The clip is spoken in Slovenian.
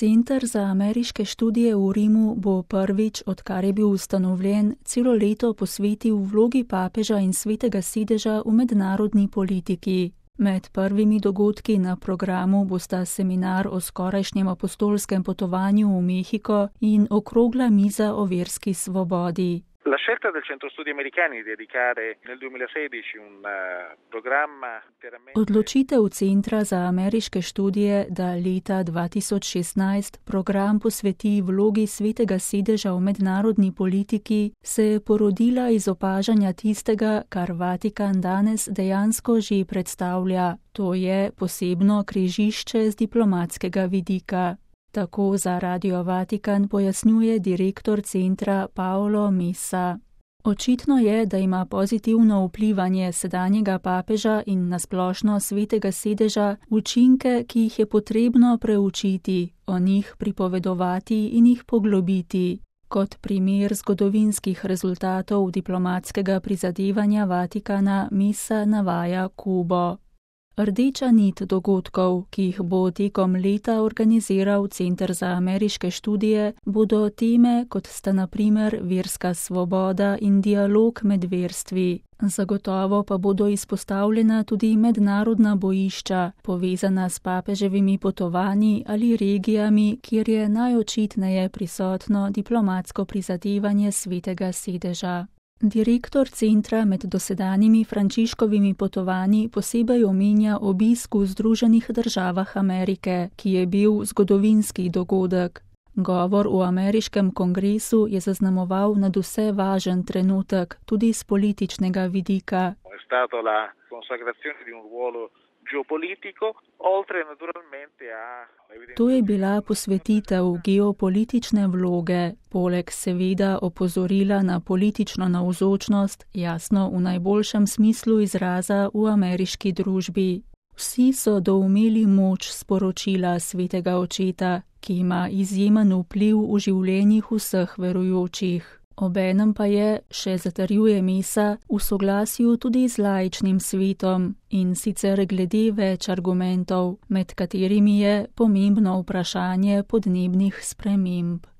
Center za ameriške študije v Rimu bo prvič, odkar je bil ustanovljen, celo leto posvetil vlogi papeža in svetega sedeža v mednarodni politiki. Med prvimi dogodki na programu bosta seminar o skorajšnjem apostolskem potovanju v Mehiko in okrogla miza o verski svobodi. La scelta del Centro Studi Americani di dedicare nel 2016 un programma interamente... Odločitev Centra za ameriške študije, da leta 2016 program posveti vlogi svetega sedeža v mednarodni politiki, se je porodila iz opažanja tistega, kar Vatikan danes dejansko že predstavlja, to je posebno križišče z diplomatskega vidika. Tako za Radio Vatikan pojasnjuje direktor centra Paolo Messa. Očitno je, da ima pozitivno vplivanje sedanjega papeža in nasplošno svetega sedeža učinke, ki jih je potrebno preučiti, o njih pripovedovati in jih poglobiti. Kot primer zgodovinskih rezultatov diplomatskega prizadevanja Vatikana Messa navaja Kubo. Rdeča nit dogodkov, ki jih bo tekom leta organiziral Center za ameriške študije, bodo teme, kot sta na primer verska svoboda in dialog med verstvi. Zagotovo pa bodo izpostavljena tudi mednarodna bojišča, povezana s papeževimi potovanji ali regijami, kjer je najočitneje prisotno diplomatsko prizadevanje svetega sedeža. Direktor centra med dosedanjimi Frančiškovimi potovanji posebej omenja obisk v Združenih državah Amerike, ki je bil zgodovinski dogodek. Govor v ameriškem kongresu je zaznamoval nadvse važen trenutek, tudi z političnega vidika. To je bila posvetitev geopolitične vloge, poleg seveda opozorila na politično navzočnost, jasno v najboljšem smislu izraza v ameriški družbi. Vsi so doumeli moč sporočila svetega očeta, ki ima izjemen vpliv v življenjih vseh verujočih. Obenem pa je, še zatrjuje Messa, v soglasju tudi z laičnim svetom in sicer glede več argumentov, med katerimi je pomembno vprašanje podnebnih sprememb.